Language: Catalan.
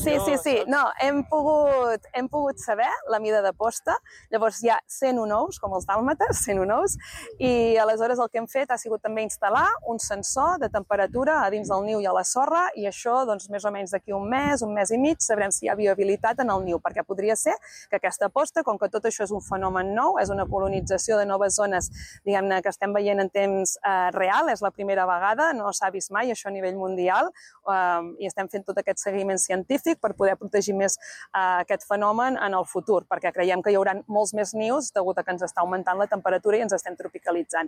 Sí. No, hem pogut saber la mida de posta. Llavors hi ha 101 ous, com els dàlmates, 101 ous, i aleshores el que hem fet ha sigut també instal·lar un sensor de temperatura a dins del niu i a la sorra, i això, doncs, més o menys d'aquí un mes i mig, sabrem si hi ha viabilitat en el niu, perquè podria ser que aquesta posta, com que tot això és un fenomen nou, és una colonització de noves zones, diguem-ne, que estem veient en temps real, és la primera vegada, no s'ha vist mai això a nivell mundial, i estem fent tot aquest seguiment científic per poder protegir més aquest fenomen en el futur, perquè creiem que hi haurà molts més nius degut a que ens està augmentant la temperatura i ens estem tropicalitzant.